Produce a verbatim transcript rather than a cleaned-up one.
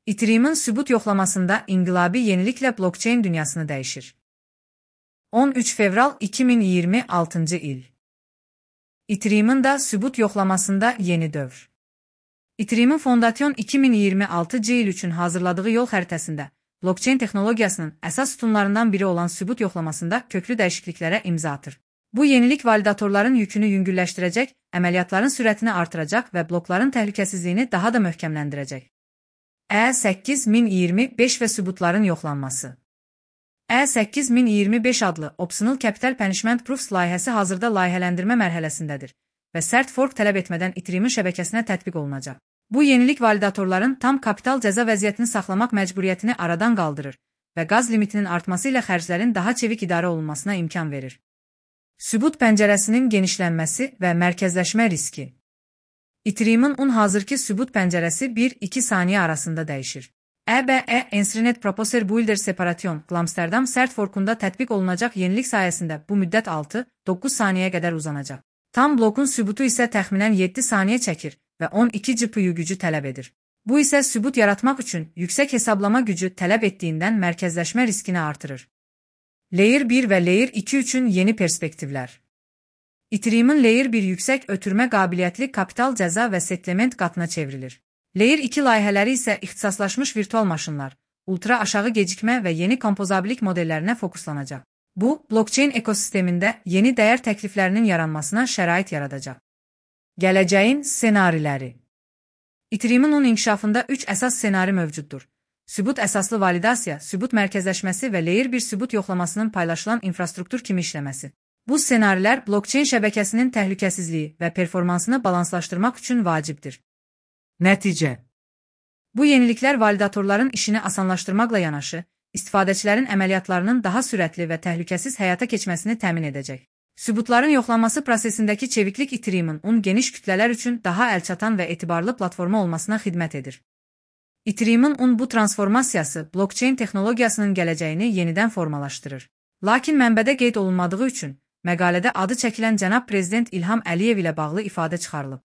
Ethereum'un sübut yoxlamasında inqilabi yeniliklə blockchain dünyasını dəyişir. on üç fevral iki min iyirmi altıncı il. Ethereum'un da sübut yoxlamasında yeni dövr. Ethereum'un Fondation iki min iyirmi altıncı il üçün hazırladığı yol xəritəsində blockchain texnologiyasının əsas sütunlarından biri olan sübut yoxlamasında köklü dəyişikliklərə imza atır. Bu yenilik validatorların yükünü yüngülləşdirəcək, əməliyyatların sürətini artıracaq və blokların təhlükəsizliyini daha da möhkəmləndirəcək. E səkkiz min iyirmi beş və sübutların yoxlanması. E səkkiz min iyirmi beş adlı Optional Capital Punishment Proofs layihəsi hazırda layihələndirmə mərhələsindədir və sərt fork tələb etmədən Ethereum şəbəkəsinə tətbiq olunacaq. Bu yenilik validatorların tam kapital cəza vəziyyətini saxlamaq məcburiyyətini aradan qaldırır və qaz limitinin artması ilə xərclərin daha çevik idarə olunmasına imkan verir. Sübut pəncərəsinin genişlənməsi və mərkəzləşmə riski. Ethereum'un un hazırki sübut pəncərəsi bir iki saniyə arasında dəyişir. E B E Enshrinet Proposer Builder Separation Amsterdam sərt forkunda tətbiq olunacaq yenilik sayəsində bu müddət altı doqquz saniyəyə qədər uzanacaq. Tam blokun sübutu isə təxminən yeddi saniyə çəkir və on iki G P U gücü tələb edir. Bu isə sübut yaratmaq üçün yüksək hesablama gücü tələb etdiyindən mərkəzləşmə riskini artırır. Layer bir və Layer iki üçün yeni perspektivlər. Ethereum'un Layer bir yüksək ötürmə qabiliyyətli kapital cəza və settlement qatına çevrilir. Layer iki layihələri isə ixtisaslaşmış virtual maşınlar, ultra aşağı gecikmə və yeni kompozabilik modellərinə fokuslanacaq. Bu, blockchain ekosistemində yeni dəyər təkliflərinin yaranmasına şərait yaradacaq. Gələcəyin ssenariləri. Ethereum'un un inkişafında üç əsas ssenari mövcuddur. Sübut əsaslı validasiya, sübut mərkəzləşməsi və Layer bir sübut yoxlamasının paylaşılan infrastruktur kimi işləməsi. Bu ssenarilər blockchain şəbəkəsinin təhlükəsizliyi və performansını balanslaşdırmaq üçün vacibdir. Nəticə. Bu yeniliklər validatorların işini asanlaşdırmaqla yanaşı, istifadəçilərin əməliyyatlarının daha sürətli və təhlükəsiz həyata keçməsini təmin edəcək. Sübutların yoxlanması prosesindəki çeviklik Ethereum'un un geniş kütlələr üçün daha əlçatan və etibarlı platforma olmasına xidmət edir. Ethereum'un un bu transformasiyası blockchain texnologiyasının gələcəyini yenidən formalaşdırır. Lakin mənbədə qeyd olunmadığı üçün, məqalədə adı çəkilən cənab Prezident İlham Əliyev ilə bağlı ifadə çıxarılıb.